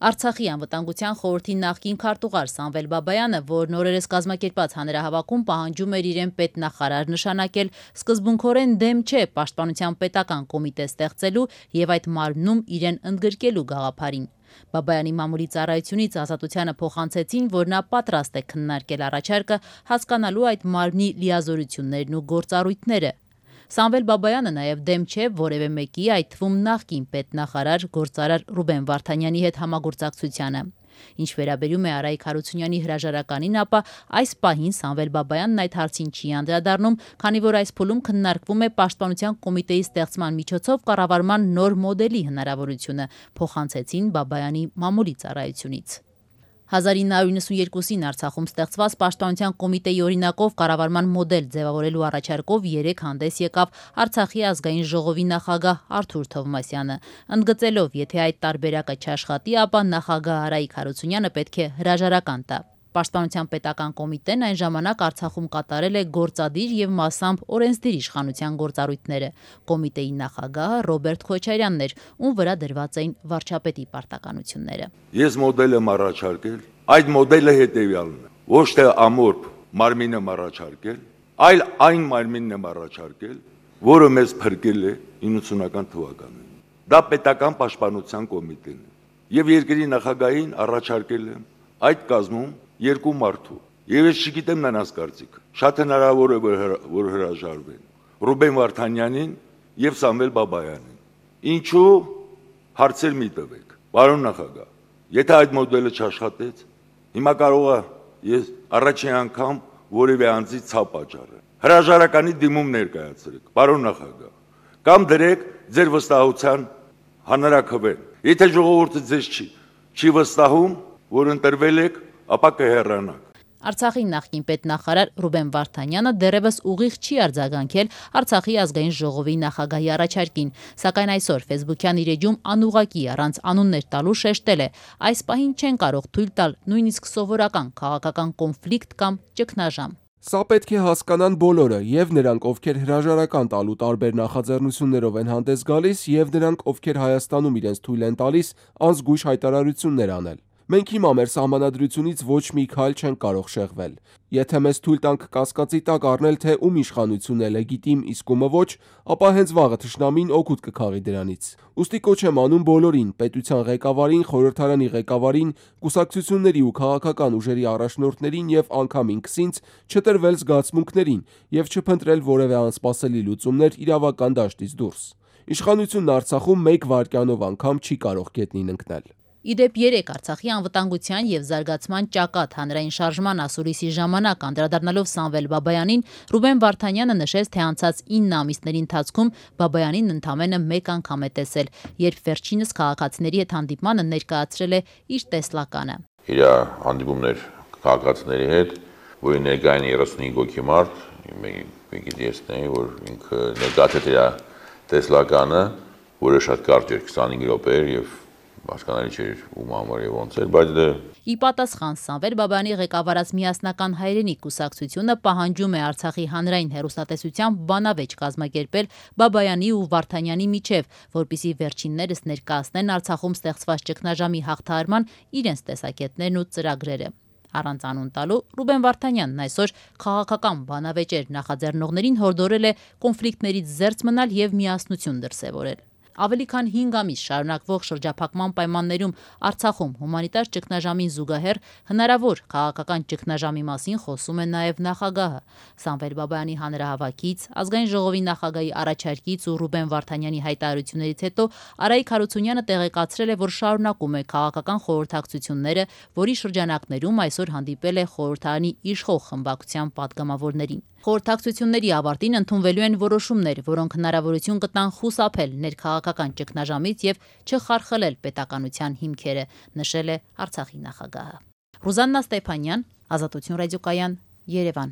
Արցախի անվտանգության խորհրդի նախկին քարտուղար Սամվել Բաբայանը, որ նորերս կազմակերպած հանրահավաքում պահանջում էր իրեն պետնախարար նշանակել, սկզբունքորեն դեմ չէ Պաշտպանության պետական կոմիտե ստեղծելու եւ այդ մարմնում իրեն ընդգրկելու գաղափարին։ Բաբայանի մամուլի ծառայությունից Ազատությանը փոխանցեցին, որ նա պատրաստ է քննարկել առաջարկը, հասկանալու այդ մարմնի լիազորություններն ու գործառույթները։ Սամվել Բաբայանը նաև դեմ չէ որևէ մեկի, այդ թվում նախկին պետնախարար գործարար Ռուբեն Վարդանյանի հետ համագործակցությանը։ Ինչ վերաբերում է Արայիկ Հարությունյանի հրաժարականին, ապա այս պահին Սամվել Բաբայանն այդ հարցին չի անդրադառնում, քանի որ այս փուլում քննարկվում է Պաշտպանության կոմիտեի ստեղծման միջոցով կառավարման նոր մոդելի հնարավորությունը, փոխանցեցին Բաբայանի մամուլի ծառայությունից։ 1992-ին Արցախում ստեղծված Պաշտպանության կոմիտեի օրինակով կառավարման մոդել ձևավորելու առաջարկով երեկ հանդես եկավ Արցախի ազգային ժողովի նախագահ Արթուր Թովմասյանը, ընդգծելով, եթե այդ տարբերակը չաշխատի, ապա նախագահ Արայիկ Հարությունյանը պետք է հրաժարական տա։ Պաշտպանության պետական կոմիտեն այն ժամանակ Արցախում կատարել է գործադիր եւ մասամբ օրենսդիր իշխանության գործառույթները։ Կոմիտեի նախագահը Ռոբերտ Քոչարյանն էր, ում վրա դրված էին վարչապետի պարտականությունները։ Ես մոդել եմ առաջարկել, այդ մոդելը հետեւյալն է. ոչ թե ամորփ մարմին եմ առաջարկել, այլ այն մարմինն եմ առաջարկել, որը մեզ փրկել է 90-ական թվականին։ Դա պետական պաշտպանության կոմիտեն է։ Եվ երկրի նախագահին առաջարկել եմ այդ կազմում երկու մարդու։ Եվ ես չգիտեմ նրանց կարծիքը։ Շատ հնարավոր է որ հրաժարվեն Ռուբեն Վարդանյանին եւ Սամվել Բաբայանին։ Ինչու հարցեր մի տվեք։ Պարոն նախագահ, եթե այդ մոդելը չաշխատեց, հիմա կարող է ես առաջին անգամ որևէ անձի ցավ պատճառը։ Հրաժարականի դիմում ներկայացրեք, պարոն նախագահ, կամ դրեք ձեր վստահության հանրաքվեն։ Եթե ժողովուրդը ձեզ չի վստահում, որ ընտրվել եք, ապա կհեռանաք։ Արցախի նախկին պետնախարար Ռուբեն Վարդանյանը դեռևս ուղիղ չի արձագանքել Արցախի ազգային ժողովի նախագահի առաջարկին, սակայն այսօր Facebook-յան իր էջում անուղղակի առանց անուններ տալու շեշտել է. այս պահին չեն կարող թույլ տալ նույնիսկ սովորական քաղաքական կոնֆլիկտ կամ ճգնաժամ։ Սա պետք է հասկանան բոլորը, եւ նրանք, ովքեր հրաժարական տալու տարբեր նախաձեռնություններով են հանդես գալիս, եւ նրանք, ովքեր Հայաստանում իրենց թույլ են տալիս անզգույշ հայտարարություններ անել։ Մենք հիմա մեր սահմանադրությունից ոչ մի քայլ չենք կարող շեղվել։ Եթե մեզ թույլ տանք կասկածի տակ առնել, թե ում իշխանությունն է լեգիտիմ, իսկ ումը ոչ, ապա հենց վաղը թշնամին օգուտ կքաղի դրանից։ Ուստի կոչ եմ անում բոլորին, պետության ղեկավարին, խորհրդարանի ղեկավարին, կուսակցությունների ու քաղաքական ուժերի առաջնորդներին եւ անգամ ինքսինց չտրվել զգացմունքներին եւ չփնտրել որևէ անսպասելի լուծումներ իրավական դաշտից դուրս։ Իշխանությունն Արցախում մեկ վայրկյանով անգամ չի կարող գետնին ընկնել։ Իդեպ երեկ Արցախի անվտանգության եւ զարգացման ճակատ հանրային շարժման ասուլիսի ժամանակ անդրադառնալով Սամվել Բաբայանին, Ռուբեն Վարդանյանը նշեց, թե անցած 9 ամիսների ընթացքում Բաբայանին ընդամենը մեկ անգամ է տեսել, երբ վերջինս քաղաքացիների հետ հանդիպմանը ներկայացրել է իր տեսլականը։ Իր հանդիպումներ քաղաքացիների հետ, որի ներկային 35 հոգի մարդ, մեկի տեսնեի, որ ինքը ներկայացրել իր տեսլականը, որը շատ կարճ էր, 25 րոպե էր եւ հասկանալի չէր ում համար եւ ոնց էր, բայց դե ի պատասխան Սամվել Բաբայանի ղեկավարած միասնական հայրենիք կուսակցությունը պահանջում է Արցախի հանրային հեռուստատեսությամբ բանավեճ կազմակերպել Բաբայանի ու Վարդանյանի միջև, որպիսի վերջիններս ներկայացնեն Արցախում ստեղծված ճգնաժամի հաղթահարման իրենց տեսակետներն ու ծրագրերը։ Առանց անուն տալու Ռուբեն Վարդանյանն այսօր քաղաքական բանավեճեր նախաձեռնողներին հորդորել է կոնֆլիկտներից զերծ մնալ եւ միասնություն դրսեւորել։ Ավելի քան 5 ամիս շարունակվող շրջափակման պայմաններում Արցախում հումանիտար ճգնաժամին զուգահեռ հնարավոր քաղաքական ճգնաժամի մասին խոսում է նաև նախագահը։ Սամվել Բաբայանի հանրահավաքից, ազգային ժողովի նախագահի առաջարկից ու Ռուբեն Վարդանյանի հայտարարություններից հետո Արայիկ Հարությունյանը տեղեկացրել է, որ շարունակում է քաղաքական խորհրդակցությունները, որի շրջանակներում այսօր հանդիպել է խորհրդարանի իշխող խմբակցության պատգամավորներին։ Խորհրդակցությունների ավարտին ընդունվելու են որոշումներ, որոնք հնարավորություն կտան խուսափել ներքաղաքական ճգնաժամից եւ չխարխլել պետականության հիմքերը, նշել է Արցախի նախագահը։ Ռուզաննա Ստեփանյան, Ազատություն ռադիոկայան, Երևան։